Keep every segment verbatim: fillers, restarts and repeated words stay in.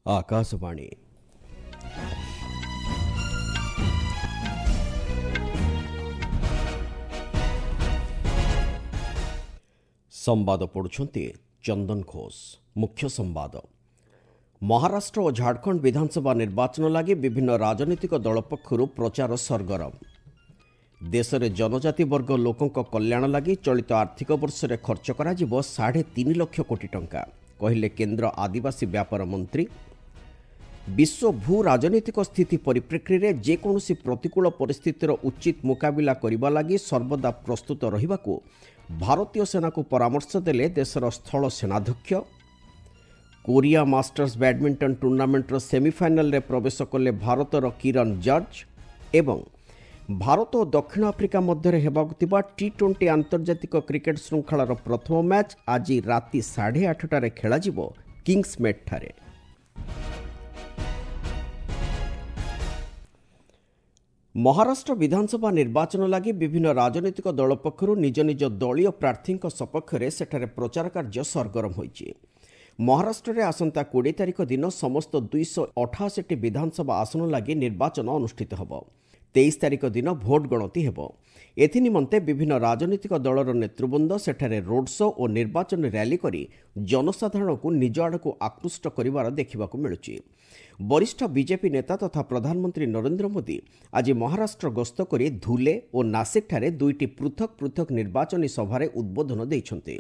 ଆକାଶବାଣୀ ସମ୍ବାଦ ପଢ଼ୁଛନ୍ତି ଚନ୍ଦନ ଘୋଷ ମୁଖ୍ୟ ସମ୍ବାଦ ମହାରାଷ୍ଟ୍ର ଓ ଝାଡ଼ଖଣ୍ଡ ବିଧାନସଭା ନିର୍ବାଚନ ଲାଗି ବିଭିନ୍ନ ରାଜନୈତିକ ଦଳ ପକ୍ଷରୁ ପ୍ରଚାର ସରଗରମ ଦେଶରେ ଜନଜାତି ବର୍ଗ ଲୋକଙ୍କ କଲ୍ୟାଣ ଲାଗି ଚଳିତ ଆର୍ଥିକ ବର୍ଷରେ ଖର୍ଚ୍ଚ କରାଯିବ ସାଢ଼େ ତିନି ଲକ୍ଷ କୋଟି ଟଙ୍କା କହିଲେ କେନ୍ଦ୍ର ଆଦିବାସୀ ବ୍ୟାପାର ମନ୍ତ୍ରୀ ବିଶ୍ୱ ଭୂ ରାଜନୈତିକ ସ୍ଥିତି ପରିପ୍ରେକ୍ଷୀରେ ଯେକୌଣସି ପ୍ରତିକୂଳ ପରିସ୍ଥିତିର ଉଚିତ ମୁକାବିଲା କରିବା ଲାଗି ସର୍ବଦା ପ୍ରସ୍ତୁତ ରହିବାକୁ ଭାରତୀୟ ସେନାକୁ ପରାମର୍ଶ ଦେଲେ ଦେଶର ସ୍ଥଳ ସେନାଧ୍ୟକ୍ଷ କୋରିଆ ମାଷ୍ଟର୍ସ ବ୍ୟାଡମିଣ୍ଟନ ଟୁର୍ଣ୍ଣାମେଣ୍ଟର ସେମିଫାଇନାଲରେ ପ୍ରବେଶ କଲେ ଭାରତର କିରଣ ଜର୍ଜ ଏବଂ ଭାରତ ଓ ଦକ୍ଷିଣ ଆଫ୍ରିକା ମଧ୍ୟରେ ହେବାକୁ ଥିବା ଟି ଟ୍ୱେଣ୍ଟି ଆନ୍ତର୍ଜାତିକ କ୍ରିକେଟ୍ ଶୃଙ୍ଖଳାର ପ୍ରଥମ ମ୍ୟାଚ୍ ଆଜି ରାତି ସାଢ଼େ ଆଠଟାରେ ଖେଳାଯିବ କିଙ୍ଗସ୍ମେଡ୍ଠାରେ ମହାରାଷ୍ଟ୍ର ବିଧାନସଭା ନିର୍ବାଚନ ଲାଗି ବିଭିନ୍ନ ରାଜନୈତିକ ଦଳ ପକ୍ଷରୁ ନିଜ ନିଜ ଦଳୀୟ ପ୍ରାର୍ଥୀଙ୍କ ସପକ୍ଷରେ ସେଠାରେ ପ୍ରଚାର କାର୍ଯ୍ୟ ସରଗରମ ହୋଇଛି ମହାରାଷ୍ଟ୍ରରେ ଆସନ୍ତା କୋଡ଼ିଏ ତାରିଖ ଦିନ ସମସ୍ତ ଦୁଇଶହ ଅଠାଅଶୀଟି ବିଧାନସଭା ଆସନ ଲାଗି ନିର୍ବାଚନ ଅନୁଷ୍ଠିତ ହେବ ତେଇଶ ତାରିଖ ଦିନ ଭୋଟ ଗଣତି ହେବ ଏଥିନିମନ୍ତେ ବିଭିନ୍ନ ରାଜନୈତିକ ଦଳର ନେତୃବୃନ୍ଦ ସେଠାରେ ରୋଡ୍ ଶୋ ଓ ନିର୍ବାଚନ ର୍ୟାଲି କରି ଜନସାଧାରଣଙ୍କୁ ନିଜ ଆଡ଼କୁ ଆକୃଷ୍ଟ କରିବାର ଦେଖିବାକୁ ମିଳୁଛି ବରିଷ୍ଠ ବିଜେପି ନେତା ତଥା ପ୍ରଧାନମନ୍ତ୍ରୀ ନରେନ୍ଦ୍ର ମୋଦି ଆଜି ମହାରାଷ୍ଟ୍ର ଗସ୍ତ କରି ଧୁଲେ ଓ ନାସିକଠାରେ ଦୁଇଟି ପୃଥକ ପୃଥକ ନିର୍ବାଚନୀ ସଭାରେ ଉଦ୍ବୋଧନ ଦେଇଛନ୍ତି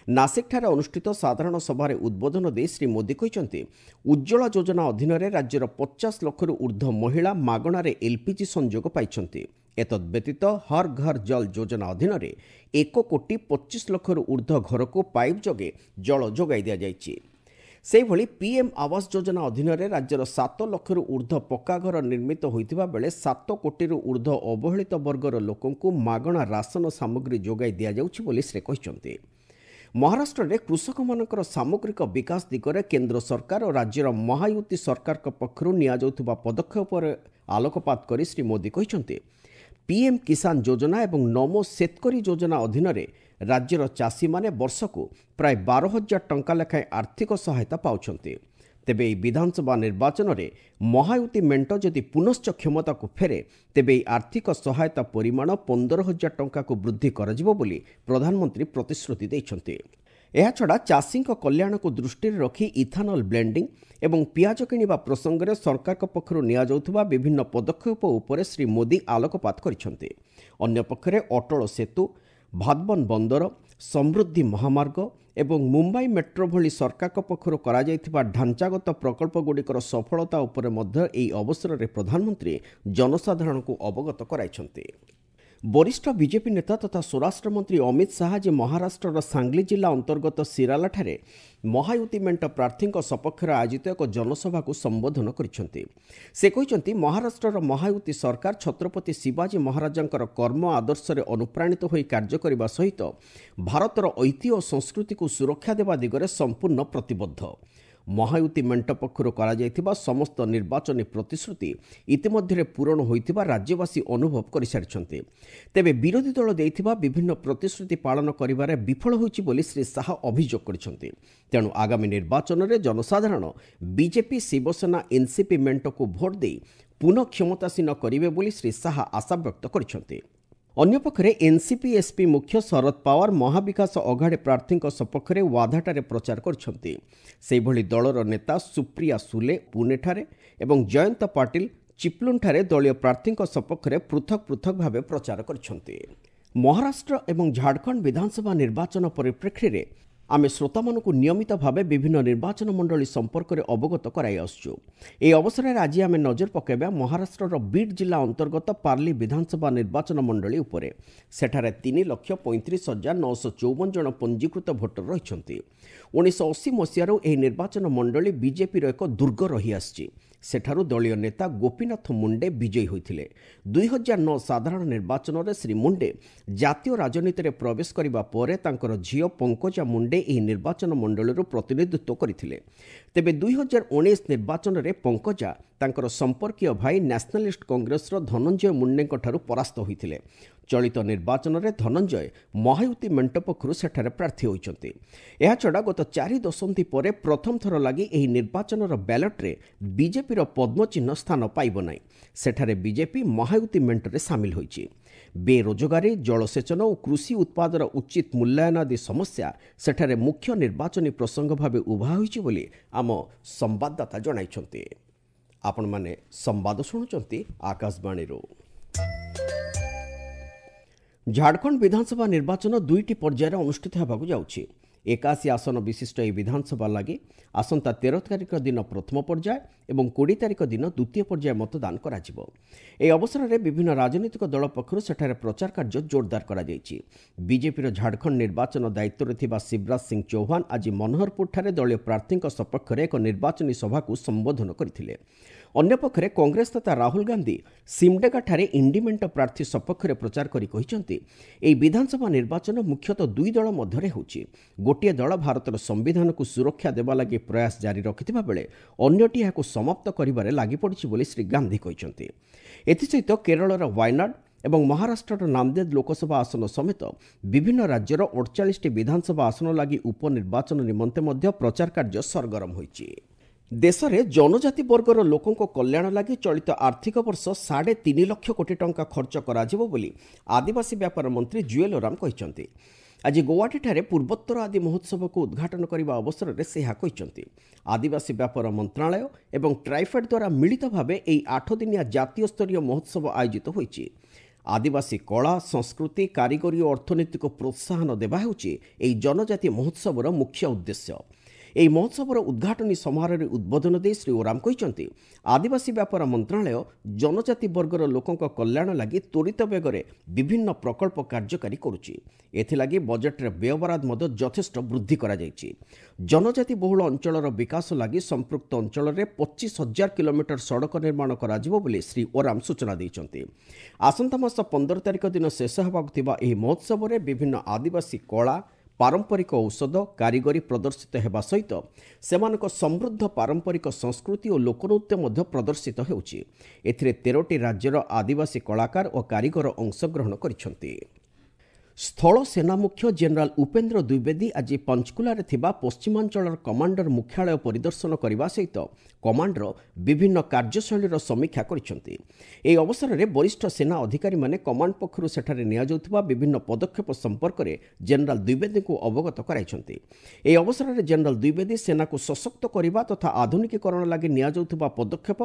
ନାସିକଠାରେ ଅନୁଷ୍ଠିତ ସାଧାରଣ ସଭାରେ ଉଦ୍ବୋଧନ ଦେଇ ଶ୍ରୀ ମୋଦି କହିଛନ୍ତି ଉଜ୍ଜ୍ୱଳା ଯୋଜନା ଅଧୀନରେ ରାଜ୍ୟର ପଚାଶ ଲକ୍ଷରୁ ଉର୍ଦ୍ଧ୍ୱ ମହିଳା ମାଗଣାରେ ଏଲ୍ପିଜି ସଂଯୋଗ ପାଇଛନ୍ତି ଏତଦ୍ ବ୍ୟତୀତ ହର୍ ଘର୍ ଜଲ୍ ଯୋଜନା ଅଧୀନରେ ଏକ କୋଟି ପଚିଶ ଲକ୍ଷରୁ ଉର୍ଦ୍ଧ୍ୱ ଘରକୁ ପାଇପ୍ ଯୋଗେ ଜଳ ଯୋଗାଇ ଦିଆଯାଇଛି ସେହିଭଳି ପିଏମ୍ ଆବାସ ଯୋଜନା ଅଧୀନରେ ରାଜ୍ୟର ସାତ ଲକ୍ଷରୁ ଉର୍ଦ୍ଧ୍ୱ ପକ୍କା ଘର ନିର୍ମିତ ହୋଇଥିବା ବେଳେ ସାତ କୋଟିରୁ ଉର୍ଦ୍ଧ୍ୱ ଅବହେଳିତ ବର୍ଗର ଲୋକଙ୍କୁ ମାଗଣା ରାସନ ସାମଗ୍ରୀ ଯୋଗାଇ ଦିଆଯାଉଛି ବୋଲି ସେ କହିଛନ୍ତି ମହାରାଷ୍ଟ୍ରରେ କୃଷକମାନଙ୍କର ସାମଗ୍ରିକ ବିକାଶ ଦିଗରେ କେନ୍ଦ୍ର ସରକାର ଓ ରାଜ୍ୟର ମହାୟୁତି ସରକାରଙ୍କ ପକ୍ଷରୁ ନିଆଯାଉଥିବା ପଦକ୍ଷେପ ଉପରେ ଆଲୋକପାତ କରି ଶ୍ରୀ ମୋଦି କହିଛନ୍ତି ପିଏମ୍ କିଷାନ ଯୋଜନା ଏବଂ ନମୋ ସେତକରୀ ଯୋଜନା ଅଧୀନରେ ରାଜ୍ୟର ଚାଷୀମାନେ ବର୍ଷକୁ ପ୍ରାୟ ବାର ହଜାର ଟଙ୍କା ଲେଖାଏଁ ଆର୍ଥିକ ସହାୟତା ପାଉଛନ୍ତି ତେବେ ଏହି ବିଧାନସଭା ନିର୍ବାଚନରେ ମହାୟୁତି ମେଣ୍ଟ ଯଦି ପୁନଶ୍ଚ କ୍ଷମତାକୁ ଫେରେ ତେବେ ଏହି ଆର୍ଥିକ ସହାୟତା ପରିମାଣ ପନ୍ଦର ହଜାର ଟଙ୍କାକୁ ବୃଦ୍ଧି କରାଯିବ ବୋଲି ପ୍ରଧାନମନ୍ତ୍ରୀ ପ୍ରତିଶ୍ରୁତି ଦେଇଛନ୍ତି ଏହାଛଡ଼ା ଚାଷୀଙ୍କ କଲ୍ୟାଣକୁ ଦୃଷ୍ଟିରେ ରଖି ଇଥାନଲ ବ୍ଲେଣ୍ଡିଂ ଏବଂ ପିଆଜ କିଣିବା ପ୍ରସଙ୍ଗରେ ସରକାରଙ୍କ ପକ୍ଷରୁ ନିଆଯାଉଥିବା ବିଭିନ୍ନ ପଦକ୍ଷେପ ଉପରେ ଶ୍ରୀ ମୋଦି ଆଲୋକପାତ କରିଛନ୍ତି ଅନ୍ୟପକ୍ଷରେ ଅଟଳ ସେତୁ ଭାଦବନ ବନ୍ଦର ସମୃଦ୍ଧି ମହାମାର୍ଗ ଏବଂ ମୁମ୍ବାଇ ମେଟ୍ରୋ ଭଳି ସରକାରଙ୍କ ପକ୍ଷରୁ କରାଯାଇଥିବା ଢାଞ୍ଚାଗତ ପ୍ରକଳ୍ପଗୁଡ଼ିକର ସଫଳତା ଉପରେ ମଧ୍ୟ ଏହି ଅବସରରେ ପ୍ରଧାନମନ୍ତ୍ରୀ ଜନସାଧାରଣଙ୍କୁ ଅବଗତ କରାଇଛନ୍ତି ବରିଷ୍ଠ ବିଜେପି ନେତା ତଥା ସ୍ୱରାଷ୍ଟ୍ରମନ୍ତ୍ରୀ ଅମିତ ଶାହା ଆଜି ମହାରାଷ୍ଟ୍ରର ସାଙ୍ଗଲି ଜିଲ୍ଲା ଅନ୍ତର୍ଗତ ସିରାଲାଠାରେ ମହାୟୁତି ମେଣ୍ଟ ପ୍ରାର୍ଥୀଙ୍କ ସପକ୍ଷରେ ଆୟୋଜିତ ଏକ ଜନସଭାକୁ ସମ୍ବୋଧନ କରିଛନ୍ତି ସେ କହିଛନ୍ତି ମହାରାଷ୍ଟ୍ରର ମହାୟୁତି ସରକାର ଛତ୍ରପତି ଶିବାଜୀ ମହାରାଜାଙ୍କର କର୍ମ ଆଦର୍ଶରେ ଅନୁପ୍ରାଣିତ ହୋଇ କାର୍ଯ୍ୟ କରିବା ସହିତ ଭାରତର ଐତିହ୍ୟ ଓ ସଂସ୍କୃତିକୁ ସୁରକ୍ଷା ଦେବା ଦିଗରେ ସମ୍ପୂର୍ଣ୍ଣ ପ୍ରତିବଦ୍ଧ ମହାୟୁତି ମେଣ୍ଟ ପକ୍ଷରୁ କରାଯାଇଥିବା ସମସ୍ତ ନିର୍ବାଚନୀ ପ୍ରତିଶ୍ରୁତି ଇତିମଧ୍ୟରେ ପୂରଣ ହୋଇଥିବା ରାଜ୍ୟବାସୀ ଅନୁଭବ କରିସାରିଛନ୍ତି ତେବେ ବିରୋଧୀ ଦଳ ଦେଇଥିବା ବିଭିନ୍ନ ପ୍ରତିଶ୍ରୁତି ପାଳନ କରିବାରେ ବିଫଳ ହୋଇଛି ବୋଲି ଶ୍ରୀ ଶାହା ଅଭିଯୋଗ କରିଛନ୍ତି ତେଣୁ ଆଗାମୀ ନିର୍ବାଚନରେ ଜନସାଧାରଣ ବିଜେପି ଶିବସେନା ଏନ୍ସିପି ମେଣ୍ଟକୁ ଭୋଟ ଦେଇ ପୁନଃ କ୍ଷମତାସୀନ କରିବେ ବୋଲି ଶ୍ରୀ ଶାହା ଆଶାବ୍ୟକ୍ତ କରିଛନ୍ତି ଅନ୍ୟପକ୍ଷରେ ଏନ୍ସିପି ଏସ୍ପି ମୁଖ୍ୟ ଶରଦ ପାୱାର ମହାବିକାଶ ଅଘାଡ଼ି ପ୍ରାର୍ଥୀଙ୍କ ସପକ୍ଷରେ ୱାଧାଠାରେ ପ୍ରଚାର କରିଛନ୍ତି ସେହିଭଳି ଦଳର ନେତା ସୁପ୍ରିୟା ସୁଲେ ପୁନେଠାରେ ଏବଂ ଜୟନ୍ତ ପାଟିଲ ଚିପ୍ଲୁନ୍ଠାରେ ଦଳୀୟ ପ୍ରାର୍ଥୀଙ୍କ ସପକ୍ଷରେ ପୃଥକ ପୃଥକ ଭାବେ ପ୍ରଚାର କରିଛନ୍ତି ମହାରାଷ୍ଟ୍ର ଏବଂ ଝାଡ଼ଖଣ୍ଡ ବିଧାନସଭା ନିର୍ବାଚନ ପରିପ୍ରେକ୍ଷୀରେ ଆମେ ଶ୍ରୋତାମାନଙ୍କୁ ନିୟମିତ ଭାବେ ବିଭିନ୍ନ ନିର୍ବାଚନ ମଣ୍ଡଳୀ ସମ୍ପର୍କରେ ଅବଗତ କରାଇ ଆସୁଛୁ ଏହି ଅବସରରେ ଆଜି ଆମେ ନଜର ପକାଇବା ମହାରାଷ୍ଟ୍ରର ବିଡ୍ ଜିଲ୍ଲା ଅନ୍ତର୍ଗତ ପାର୍ଲି ବିଧାନସଭା ନିର୍ବାଚନ ମଣ୍ଡଳୀ ଉପରେ ସେଠାରେ ତିନି ଲକ୍ଷ ପଇଁତିରିଶ ହଜାର ନଅଶହ ଚଉବନ ଜଣ ପଞ୍ଜୀକୃତ ଭୋଟର ରହିଛନ୍ତି ଉଣେଇଶହ ଅଶୀ ମସିହାରୁ ଏହି ନିର୍ବାଚନ ମଣ୍ଡଳୀ ବିଜେପିର ଏକ ଦୁର୍ଗ ରହିଆସିଛି ସେଠାରୁ ଦଳୀୟ ନେତା ଗୋପୀନାଥ ମୁଣ୍ଡେ ବିଜୟୀ ହୋଇଥିଲେ ଦୁଇ ହଜାର ନଅ ସାଧାରଣ ନିର୍ବାଚନରେ ଶ୍ରୀ ମୁଣ୍ଡେ ଜାତୀୟ ରାଜନୀତିରେ ପ୍ରବେଶ କରିବା ପରେ ତାଙ୍କର ଝିଅ ପଙ୍କଜା ମୁଣ୍ଡେ ମୁଣ୍ଡେ ଏହି ନିର୍ବାଚନ ମଣ୍ଡଳୀରୁ ପ୍ରତିନିଧିତ୍ୱ କରିଥିଲେ। ତେବେ ଦୁଇ ହଜାର ଉଣେଇଶ ନିର୍ବାଚନରେ ପଙ୍କଜା ତାଙ୍କର ସମ୍ପର୍କୀୟ ଭାଇ ନ୍ୟାସନାଲିଷ୍ଟ କଂଗ୍ରେସର ଧନଞ୍ଜୟ ମୁଣ୍ଡେଙ୍କଠାରୁ ପରାସ୍ତ ହୋଇଥିଲେ। ଚଳିତ ନିର୍ବାଚନରେ ଧନଞ୍ଜୟ ମହାୟୁତି ମେଣ୍ଟ ପକ୍ଷରୁ ସେଠାରେ ପ୍ରାର୍ଥୀ ହୋଇଛନ୍ତି। ଏହାଛଡ଼ା ଗତ ଚାରି ଦଶନ୍ଧି ପରେ ପ୍ରଥମ ଥର ଲାଗି ଏହି ନିର୍ବାଚନର ବ୍ୟାଲଟ୍ରେ ବିଜେପିର ପଦ୍ମଚିହ୍ନ ସ୍ଥାନ ପାଇବ ନାହିଁ। ସେଠାରେ ବିଜେପି ମହାୟୁତି ମେଣ୍ଟରେ ସାମିଲ ହୋଇଛି। ବେରୋଜଗାରୀ, ଜଳସେଚନ ଓ କୃଷି ଉତ୍ପାଦର ଉଚିତ ମୂଲ୍ୟାୟନ ଆଦି ସମସ୍ୟା ସେଠାରେ ମୁଖ୍ୟ ନିର୍ବାଚନୀ ପ୍ରସଙ୍ଗ ଭାବେ ଉଭା ହୋଇଛି ବୋଲି ଆମ ସମ୍ବାଦଦାତା ଜଣାଇଛନ୍ତି। ଆପଣମାନେ ସମ୍ବାଦ ଶୁଣୁଛନ୍ତି ଆକାଶବାଣୀରୁ। ଝାଡ଼ଖଣ୍ଡ ବିଧାନସଭା ନିର୍ବାଚନ ଦୁଇଟି ପର୍ଯ୍ୟାୟରେ ଅନୁଷ୍ଠିତ ହେବାକୁ ଯାଉଛି। ଏକାଅଶୀ ଆସନ ବିଶିଷ୍ଟ ଏହି ବିଧାନସଭା ଲାଗି ଆସନ୍ତା ତେର ତାରିଖ ଦିନ ପ୍ରଥମ ପର୍ଯ୍ୟାୟ ଏବଂ କୋଡ଼ିଏ ତାରିଖ ଦିନ ଦ୍ୱିତୀୟ ପର୍ଯ୍ୟାୟ ମତଦାନ କରାଯିବ। ଏହି ଅବସରରେ ବିଭିନ୍ନ ରାଜନୈତିକ ଦଳ ପକ୍ଷରୁ ସେଠାରେ ପ୍ରଚାର କାର୍ଯ୍ୟ ଜୋରଦାର କରାଯାଇଛି। ବିଜେପିର ଝାଡ଼ଖଣ୍ଡ ନିର୍ବାଚନ ଦାୟିତ୍ୱରେ ଥିବା ଶିବରାଜ ସିଂ ଚୌହାନ ଆଜି ମନୋହରପୁରଠାରେ ଦଳୀୟ ପ୍ରାର୍ଥୀଙ୍କ ସପକ୍ଷରେ ଏକ ନିର୍ବାଚନୀ ସଭାକୁ ସମ୍ବୋଧନ କରିଥିଲେ। ଅନ୍ୟପକ୍ଷରେ କଂଗ୍ରେସ ନେତା ରାହୁଲ ଗାନ୍ଧୀ ସିମଡେଗାଠାରେ ଇଣ୍ଡି ମେଣ୍ଟ ପ୍ରାର୍ଥୀ ସପକ୍ଷରେ ପ୍ରଚାର କରି କହିଛନ୍ତି, ଏହି ବିଧାନସଭା ନିର୍ବାଚନ ମୁଖ୍ୟତଃ ଦୁଇ ଦଳ ମଧ୍ୟରେ ହେଉଛି। ଗୋଟିଏ ଦଳ ଭାରତର ସମ୍ବିଧାନକୁ ସୁରକ୍ଷା ଦେବା ଲାଗି ପ୍ରୟାସ ଜାରି ରଖିଥିବା ବେଳେ ଅନ୍ୟଟି ଏହାକୁ ସମାପ୍ତ କରିବାରେ ଲାଗିପଡ଼ିଛି ବୋଲି ଶ୍ରୀ ଗାନ୍ଧୀ କହିଛନ୍ତି। ଏଥିସହିତ କେରଳର ୱାୟନାଡ୍ ଏବଂ ମହାରାଷ୍ଟ୍ରର ନାନ୍ଦେଦ ଲୋକସଭା ଆସନ ସମେତ ବିଭିନ୍ନ ରାଜ୍ୟର ଅଡ଼ଚାଳିଶଟି ବିଧାନସଭା ଆସନ ଲାଗି ଉପନିର୍ବାଚନ ନିମନ୍ତେ ମଧ୍ୟ ପ୍ରଚାର କାର୍ଯ୍ୟ ସରଗରମ ହୋଇଛି। ଦେଶରେ ଜନଜାତି ବର୍ଗର ଲୋକଙ୍କ କଲ୍ୟାଣ ଲାଗି ଚଳିତ ଆର୍ଥିକ ବର୍ଷ ସାଢ଼େ ତିନି ଲକ୍ଷ କୋଟି ଟଙ୍କା ଖର୍ଚ୍ଚ କରାଯିବ ବୋଲି ଆଦିବାସୀ ବ୍ୟାପାର ମନ୍ତ୍ରୀ ଜୁଏଲ ଓରାମ କହିଛନ୍ତି। ଆଜି ଗୌହାଟୀଠାରେ ପୂର୍ବୋତ୍ତର ଆଦି ମହୋତ୍ସବକୁ ଉଦ୍ଘାଟନ କରିବା ଅବସରରେ ସେ ଏହା କହିଛନ୍ତି। ଆଦିବାସୀ ବ୍ୟାପାର ମନ୍ତ୍ରଣାଳୟ ଏବଂ ଟ୍ରାଇଫେଡ୍ ଦ୍ୱାରା ମିଳିତ ଭାବେ ଏହି ଆଠଦିନିଆ ଜାତୀୟ ସ୍ତରୀୟ ମହୋତ୍ସବ ଆୟୋଜିତ ହୋଇଛି। ଆଦିବାସୀ କଳା, ସଂସ୍କୃତି, କାରିଗରୀ ଓ ଅର୍ଥନୀତିକୁ ପ୍ରୋତ୍ସାହନ ଦେବା ହେଉଛି ଏହି ଜନଜାତି ମହୋତ୍ସବର ମୁଖ୍ୟ ଉଦ୍ଦେଶ୍ୟ। ଏହି ମହୋତ୍ସବର ଉଦ୍ଘାଟନୀ ସମାରୋହରେ ଉଦ୍ବୋଧନ ଦେଇ ଶ୍ରୀ ଓରାମ କହିଛନ୍ତି, ଆଦିବାସୀ ବ୍ୟାପାର ମନ୍ତ୍ରଣାଳୟ ଜନଜାତି ବର୍ଗର ଲୋକଙ୍କ କଲ୍ୟାଣ ଲାଗି ତ୍ୱରିତ ବେଗରେ ବିଭିନ୍ନ ପ୍ରକଳ୍ପ କାର୍ଯ୍ୟକାରୀ କରୁଛି। ଏଥିଲାଗି ବଜେଟ୍ରେ ବ୍ୟୟବରାଦ ମଧ୍ୟ ଯଥେଷ୍ଟ ବୃଦ୍ଧି କରାଯାଇଛି। ଜନଜାତି ବହୁଳ ଅଞ୍ଚଳର ବିକାଶ ଲାଗି ସମ୍ପୃକ୍ତ ଅଞ୍ଚଳରେ ପଚିଶ ହଜାର କିଲୋମିଟର ସଡ଼କ ନିର୍ମାଣ କରାଯିବ ବୋଲି ଶ୍ରୀ ଓରାମ ସୂଚନା ଦେଇଛନ୍ତି। ଆସନ୍ତା ମାସ ପନ୍ଦର ତାରିଖ ଦିନ ଶେଷ ହେବାକୁ ଥିବା ଏହି ମହୋତ୍ସବରେ ବିଭିନ୍ନ ଆଦିବାସୀ କଳା, ପାରମ୍ପରିକ ଔଷଧ, କାରିଗରୀ ପ୍ରଦର୍ଶିତ ହେବା ସହିତ ସେମାନଙ୍କ ସମୃଦ୍ଧ ପାରମ୍ପରିକ ସଂସ୍କୃତି ଓ ଲୋକନୃତ୍ୟ ମଧ୍ୟ ପ୍ରଦର୍ଶିତ ହେଉଛି। ଏଥିରେ ତେରଟି ରାଜ୍ୟର ଆଦିବାସୀ କଳାକାର ଓ କାରିଗର ଅଂଶଗ୍ରହଣ କରିଛନ୍ତି। ସ୍ଥଳ ସେନା ମୁଖ୍ୟ ଜେନେରାଲ ଉପେନ୍ଦ୍ର ଦ୍ୱିବେଦୀ ଆଜି ପଞ୍ଚକୁଲାରେ ଥିବା ପଶ୍ଚିମାଞ୍ଚଳର କମାଣ୍ଡର ମୁଖ୍ୟାଳୟ ପରିଦର୍ଶନ କରିବା ସହିତ କମାଣ୍ଡର ବିଭିନ୍ନ କାର୍ଯ୍ୟଶୈଳୀର ସମୀକ୍ଷା କରିଛନ୍ତି। ଏହି ଅବସରରେ ବରିଷ୍ଠ ସେନା ଅଧିକାରୀମାନେ କମାଣ୍ଡ ପକ୍ଷରୁ ସେଠାରେ ନିଆଯାଉଥିବା ବିଭିନ୍ନ ପଦକ୍ଷେପ ସମ୍ପର୍କରେ ଜେନେରାଲ ଦ୍ୱିବେଦୀଙ୍କୁ ଅବଗତ କରାଇଛନ୍ତି। ଏହି ଅବସରରେ ଜେନେରାଲ ଦ୍ୱିବେଦୀ ସେନାକୁ ସଶକ୍ତ କରିବା ତଥା ଆଧୁନିକୀକରଣ ଲାଗି ନିଆଯାଉଥିବା ପଦକ୍ଷେପ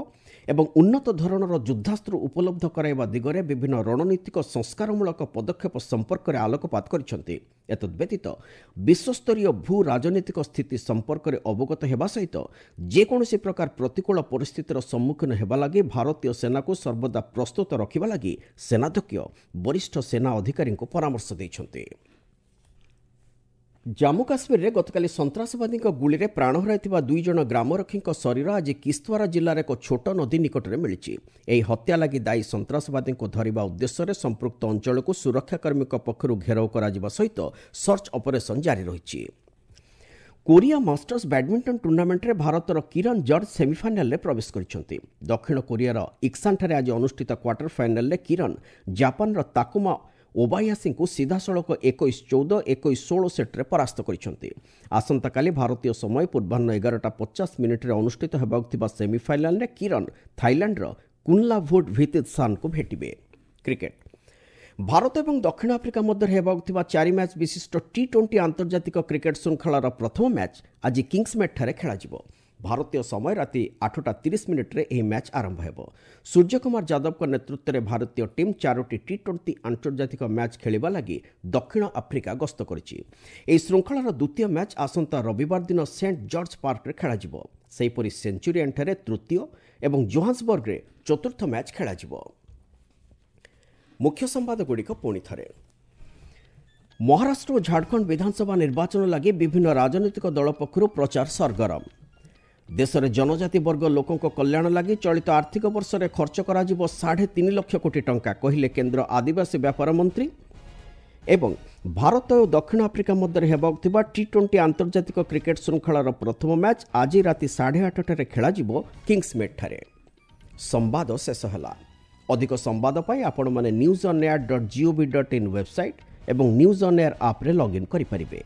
ଏବଂ ଉନ୍ନତ ଧରଣର ଯୁଦ୍ଧାସ୍ତ୍ର ଉପଲବ୍ଧ କରାଇବା ଦିଗରେ ବିଭିନ୍ନ ରଣନୀତିକ ସଂସ୍କାରମୂଳକ ପଦକ୍ଷେପ ସମ୍ପର୍କରେ ଆଲୋକପାତ କରିଛନ୍ତି। ଏତଦ୍ବ୍ୟତୀତ ବିଶ୍ୱସ୍ତରୀୟ ଭୂ ରାଜନୈତିକ ସ୍ଥିତି ସମ୍ପର୍କରେ ଅବଗତ ହେବା ସହିତ ଯେକୌଣସି ପ୍ରକାର ପ୍ରତିକୂଳ ପରିସ୍ଥିତିର ସମ୍ମୁଖୀନ ହେବା ଲାଗି ଭାରତୀୟ ସେନାକୁ ସର୍ବଦା ପ୍ରସ୍ତୁତ ରଖିବା ଲାଗି ସେନାଧ୍ୟକ୍ଷ ବରିଷ୍ଠ ସେନା ଅଧିକାରୀଙ୍କୁ ପରାମର୍ଶ ଦେଇଛନ୍ତି। ଜାମ୍ମୁ କାଶ୍ମୀରରେ ଗତକାଲି ସନ୍ତ୍ରାସବାଦୀଙ୍କ ଗୁଳିରେ ପ୍ରାଣ ହରାଇଥିବା ଦୁଇ ଜଣ ଗ୍ରାମରକ୍ଷୀଙ୍କ ଶରୀର ଆଜି କିସ୍ତୱାରା ଜିଲ୍ଲାର ଏକ ଛୋଟ ନଦୀ ନିକଟରେ ମିଳିଛି। ଏହି ହତ୍ୟା ଲାଗି ଦାୟୀ ସନ୍ତ୍ରାସବାଦୀଙ୍କୁ ଧରିବା ଉଦ୍ଦେଶ୍ୟରେ ସମ୍ପୃକ୍ତ ଅଞ୍ଚଳକୁ ସୁରକ୍ଷାକର୍ମୀଙ୍କ ପକ୍ଷରୁ ଘେରାଉ କରାଯିବା ସହିତ ସର୍ଚ୍ଚ ଅପରେସନ୍ ଜାରି ରହିଛି। କୋରିଆ ମାଷ୍ଟର୍ସ ବ୍ୟାଡମିଣ୍ଟନ ଟୁର୍ଣ୍ଣାମେଣ୍ଟରେ ଭାରତର କିରଣ ଜର୍ଜ ସେମିଫାଇନାଲରେ ପ୍ରବେଶ କରିଛନ୍ତି। ଦକ୍ଷିଣ କୋରିଆର ଇକ୍ସାନଠାରେ ଆଜି ଅନୁଷ୍ଠିତ କ୍ୱାର୍ଟର ଫାଇନାଲରେ କିରଣ ଜାପାନର ତାକୁମା ଓବାୟାସିଙ୍କୁ ସିଧାସଳଖ ଏକୋଇଶ ଚଉଦ, ଏକୋଇଶ ଷୋହଳ ସେଟ୍ରେ ପରାସ୍ତ କରିଛନ୍ତି। ଆସନ୍ତାକାଲି ଭାରତୀୟ ସମୟ ପୂର୍ବାହ୍ନ ଏଗାରଟା ପଚାଶ ମିନିଟ୍ରେ ଅନୁଷ୍ଠିତ ହେବାକୁ ଥିବା ସେମିଫାଇନାଲରେ କିରଣ ଥାଇଲାଣ୍ଡର କୁନ୍ଲାଭୁଟ୍ ଭିତିତ୍ସାନ୍ଙ୍କୁ ଭେଟିବେ। କ୍ରିକେଟ, ଭାରତ ଏବଂ ଦକ୍ଷିଣ ଆଫ୍ରିକା ମଧ୍ୟରେ ହେବାକୁ ଥିବା ଚାରି ମ୍ୟାଚ୍ ବିଶିଷ୍ଟ ଟି ଟ୍ୱେଣ୍ଟି ଆନ୍ତର୍ଜାତିକ କ୍ରିକେଟ ଶୃଙ୍ଖଳାର ପ୍ରଥମ ମ୍ୟାଚ୍ ଆଜି କିଙ୍ଗସ୍ମେଡ୍ଠାରେ ଖେଳାଯିବ। ଭାରତୀୟ ସମୟ ରାତି ଆଠଟା ତିରିଶ ମିନିଟ୍ରେ ଏହି ମ୍ୟାଚ୍ ଆରମ୍ଭ ହେବ। ସୂର୍ଯ୍ୟକୁମାର ଯାଦବଙ୍କ ନେତୃତ୍ୱରେ ଭାରତୀୟ ଟିମ୍ ଚାରୋଟି ଟି ଟ୍ୱେଣ୍ଟି ଆନ୍ତର୍ଜାତିକ ମ୍ୟାଚ୍ ଖେଳିବା ଲାଗି ଦକ୍ଷିଣ ଆଫ୍ରିକା ଗସ୍ତ କରିଛି। ଏହି ଶୃଙ୍ଖଳାର ଦ୍ୱିତୀୟ ମ୍ୟାଚ୍ ଆସନ୍ତା ରବିବାର ଦିନ ସେଣ୍ଟ ଜର୍ଜ ପାର୍କରେ ଖେଳାଯିବ। ସେହିପରି ସେଞ୍ଚୁରିଆନ୍ଠାରେ ତୃତୀୟ ଏବଂ ଜୋହାନ୍ସବର୍ଗରେ ଚତୁର୍ଥ ମ୍ୟାଚ୍ ଖେଳାଯିବ। ମୁଖ୍ୟ ସମ୍ବାଦଗୁଡ଼ିକ ପୁଣି ଥରେ। ମହାରାଷ୍ଟ୍ର ଓ ଝାଡ଼ଖଣ୍ଡ ବିଧାନସଭା ନିର୍ବାଚନ ଲାଗି ବିଭିନ୍ନ ରାଜନୈତିକ ଦଳ ପକ୍ଷରୁ ପ୍ରଚାର ସରଗରମ। ଦେଶରେ ଜନଜାତି ବର୍ଗ ଲୋକଙ୍କ କଲ୍ୟାଣ ଲାଗି ଚଳିତ ଆର୍ଥିକ ବର୍ଷରେ ଖର୍ଚ୍ଚ କରାଯିବ ସାଢ଼େ ତିନି ଲକ୍ଷ କୋଟି ଟଙ୍କା, କହିଲେ କେନ୍ଦ୍ର ଆଦିବାସୀ ବ୍ୟାପାର ମନ୍ତ୍ରୀ। ଏବଂ ଭାରତ ଓ ଦକ୍ଷିଣ ଆଫ୍ରିକା ମଧ୍ୟରେ ହେବାକୁ ଥିବା ଟି ଟ୍ୱେଣ୍ଟି ଆନ୍ତର୍ଜାତିକ କ୍ରିକେଟ୍ ଶୃଙ୍ଖଳାର ପ୍ରଥମ ମ୍ୟାଚ୍ ଆଜି ରାତି ସାଢ଼େ ଆଠଟାରେ ଖେଳାଯିବ କିଙ୍ଗସ୍ମେଡ୍ଠାରେ। ସମ୍ବାଦ ଶେଷ ହେଲା। ଅଧିକ ସମ୍ବାଦ ପାଇଁ ଆପଣମାନେ news on air dot gov dot in website ଏବଂ ନ୍ୟୁଜ୍ ଅନ୍ ଏୟାର ଆପ୍ରେ ଲଗ୍ଇନ୍ କରିପାରିବେ।